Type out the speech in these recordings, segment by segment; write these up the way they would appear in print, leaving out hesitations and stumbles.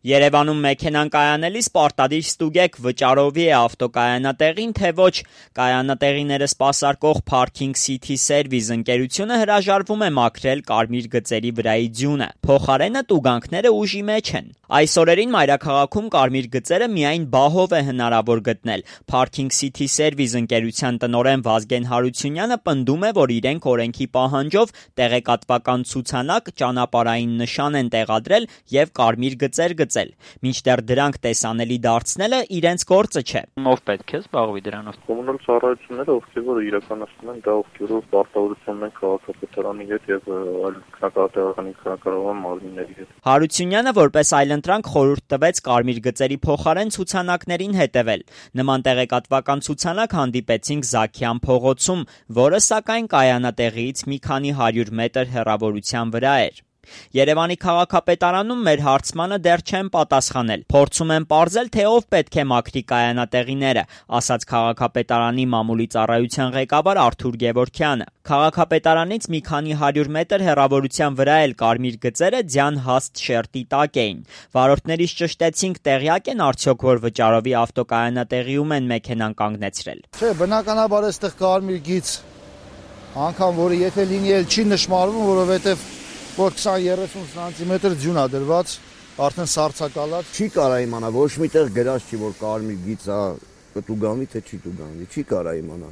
Երևանում մեքենան կայանելիս պարտադիր ստուգեք վճարովի է ավտոկայանատեղին, թե ոչ։ Կայանատեղիները սպասարկող Parking City Service ընկերությունը հրաժարվում է մաքրել կարմիր գծերի վրայի ձյունը։ Փոխարենը տուգանքները ուժի մեջ են։ Այս օրերին մայրաքաղաքում կարմիր գծերը միայն բահով է հնարավոր գտնել։ Parking City Service ընկերության տնօրեն Վազգեն Հարությունյանը պնդում է, որ իրենք օրենքի պահանջով տեղեկատվական ցուցանակ, ճանապարհային նշան են տեղադրել եւ կարմիր գծեր գծել։ Մինչդեռ դրանք տեսանելի դարձնելը իրենց գործը չէ։ Ով պետք է զբաղվի դրանով։ Կոմունալ ծառայությունները, ովքեր որ իրականացնում են դա ովքերով պարտավորություն են քաղաքապետարանի հետ եւ այլ քաղաքական կառավարման մարմինների հետ։ Հարությունյանը որպես այլընտրանք խորհուրդ տվեց կարմիր գծերի փոխարեն ցուցանակներին հետևել։ Նման տեղեկատվական ցուցանակ հանդիպեցինք Զաքյան փողոցում, որը սակայն կայանատեղիից մի քանի 100 մետր հեռավորության վրա էր։ Երևանի քաղաքապետարանում մեր հարցմանը դեռ չեն պատասխանել։ Փորձում են պարզել, թե ով պետք է մաքրի կայանատեղիները, ասաց քաղաքապետարանի մամուլի ծառայության ղեկավար Արթուր Գևորգյանը։ Քաղաքապետարանից մի քանի 100 մետր հեռավորության վրա էլ կարմիր գծերը ձյան հաստ շերտի տակ էին։ Վարորդներից ճշտեցինք, տեղյակ են արդյոք, որ վճարովի ավտոկայանատեղիում են մեքենան կանգնեցրել։ Չէ, բնականաբար այստեղ կարմիր գիծ, անգամ որը եթե լինի էլ չի նշмарվում, որովհետև որ 20-30 սանտիմետր ձյուն է դրված, արդեն սառցակալած, չի կարա իմանա, ոչ միտեղ գրած չի, որ կարմիր գիծ է, կտուգանվի, թե չի տուգանվի, չի կարա իմանա,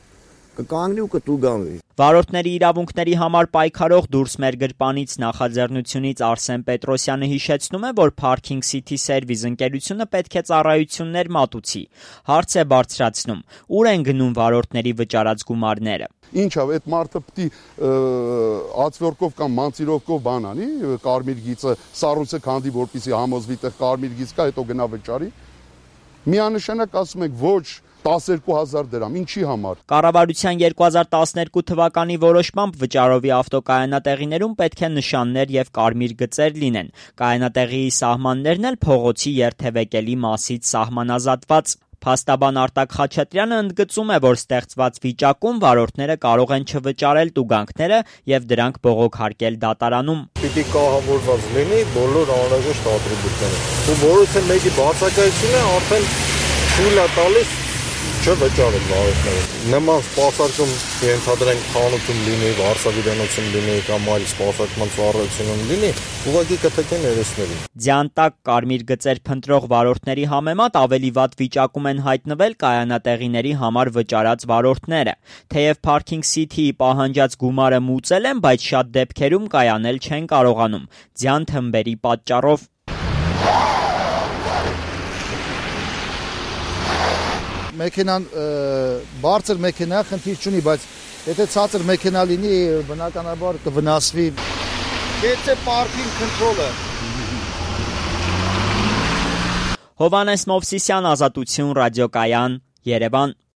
կկանգնի ու կտուգանվի։ Վարորդների իրավունքների համար պայքարող «Դուրս մեր գրպանից» նախաձեռնությունից Արսեն Պետրոսյանը հիշեցնում է, որ Parking City Service ընկերությունը պետք է ծառայություններ մատուցի։ Հարց է բարձրացնում՝ ուր են գնում վարորդների վճարած գումարները։ Ինչա, այդ մարդը պիտի ածվորկով կամ մանցիրովկով բան անի, կարմիր գիծը սառույցը քանդի, որպեսզի համոզվի տեղ կարմիր գիծ կա, հետո գնա վճարի։ Միանշանակ ասում եք ոչ 12,000 դրամ, ինչի համար։ Կառավարության 2012 թվականի որոշմամբ վճարովի ավտոկայանատեղիներում պետք է նշաններ եւ կարմիր գծեր լինեն։ Կայանատեղիի սահմաններն էլ փողոցի երթևեկելի մասից սահմանազատված։ Փաստաբան Արտակ Խաչատրյանը ընդգծում է, որ ստեղծված վիճակում վարորդները կարող են չվճարել տուգանքները եւ դրանք բողոքարկել դատարանում։ Պիտի կահավորված լինի բոլոր անհրաժեշտ ատրիբուտները։ Ու որից է մեկի բացակայությունը արդեն թույլ է տալիս չվճարել վարորդները։ Նման սպասարկում ենթադրենք խանութում լինի, վարսավիրանոցում լինի կամ այլ սպասարկման ծառայությունում լինի, ուղղակի կթեքեն երեսներին։ Ձյան տակ կարմիր գծեր փնտրող վարորդների համեմատ ավելի վատ վիճակում են հայտնվել կայանատեղիների համար վճարած վարորդները։ Թեև Parking City-ի պահանջած գումարը մուծել են, բայց շատ դեպքերում կայանել չեն կարողանում ձյան թմբերի պատճառով։ Մեքենան բարձր մեքենա խնդիր չունի, բայց եթե ցածր մեքենա լինի, բնականաբար կվնասվի։ Եթե պարքինգ քոնտրոլը։ Հովհաննես Մովսիսյան, Ազատություն, ռադիոկայան, Երևան։